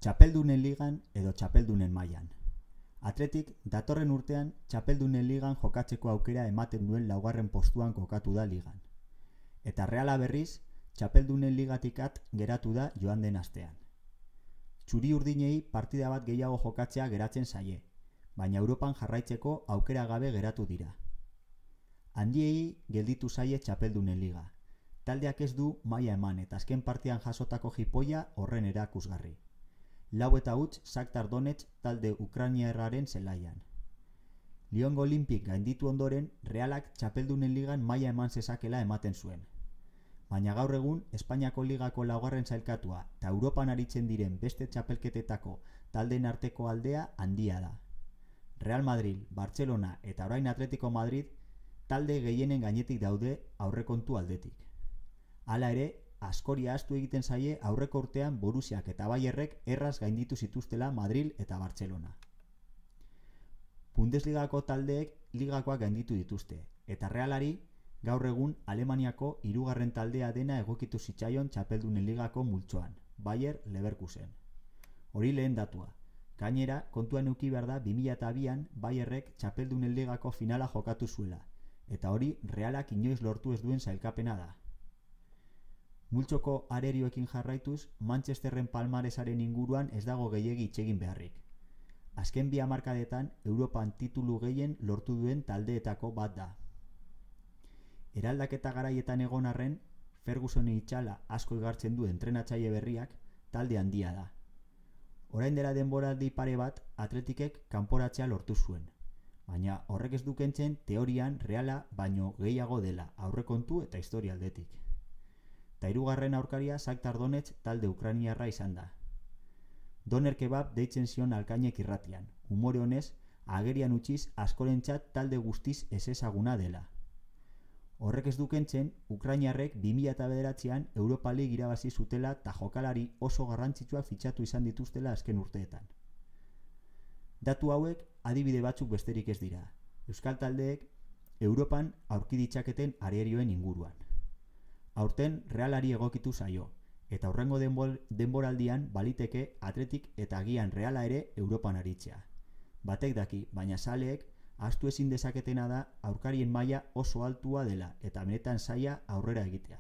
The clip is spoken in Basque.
Txapeldunen ligan edo txapeldunen mailan. Atletik datorren urtean txapeldunen ligan jokatzeko aukera ematen duen laugarren postuan kokatu da ligan. Eta Reala berriz, txapeldunen ligatikat geratu da joan den astean. Txuri urdinei partida bat gehiago jokatzea geratzen zaie, baina Europan jarraitzeko aukera gabe geratu dira. Handiei gelditu zaie txapeldunen liga. Taldeak ez du maila eman eta azken partidan jasotako jipoia horren erakusgarri. 4-0 Shakhtar Donetsk talde ukrainiarraren zelaian. Liongo Olympic gainditu ondoren, Realak txapeldunen ligan maila eman zezakela ematen zuen. Baina gaur egun, Espainiako ligako laugarren sailkatua eta Europan aritzen diren beste txapelketetako taldeen arteko aldea handia da. Real Madrid, Barcelona eta orain Atletico Madrid talde gehienen gainetik daude aurrekontu aldetik. Hala ere, askori ahaztu egiten zaie aurreko urtean Borussiak eta Bayerrek erraz gainditu zituztela Madrid eta Barcelona. Bundesligako taldeek ligakoak gainditu dituzte, eta Realari gaur egun Alemaniako hirugarren taldea dena egokitu zitzaion txapeldunen ligako multzoan, Bayer Leverkusen. Hori lehen datua. Gainera, kontuan eduki behar da 2002an Bayerrek txapeldunen ligako finala jokatu zuela, eta hori Realak inoiz lortu ez duen sailkapena da. Multzoko arerioekin jarraituz, Manchesterren palmaresaren inguruan ez dago gehiegi hitz egin beharrik. Azken 2 hamarkadetan Europan titulu gehien lortu duen taldeetako bat da. Eraldaketa garaietan egon arren, Fergusonen itxala asko igartzen du entrenatzaile berriak talde handia da. Orain dela denboraldi pare bat Atletikek kanporatzea lortu zuen, baina horrek ez du kentzen teorian Reala baino gehiago dela aurrekontu eta historia aldetik. Eta hirugarren aurkaria Shakhtar Donetsk talde ukrainiarra izan da. Doner kebab deitzen zion Alkainek irratian, umore honez agerian utziz askorentzat talde guztiz ezezaguna dela. Horrek ez du kentzen, ukrainiarrek 2009an Europa League irabazi zutela eta jokalari oso garrantzitsuak fitxatu izan dituztela azken urteetan. Datu hauek adibide batzuk besterik ez dira. Euskal taldeek Europan aurki ditzaketen arerioen inguruan. Aurten Realari egokitu zaio, eta hurrengo denboraldian baliteke Atletik eta agian Reala ere Europan aritzea. Batek daki, baina zaleek ahaztu ezin dezaketena da aurkarien maila oso altua dela eta benetan zaila aurrera egitea.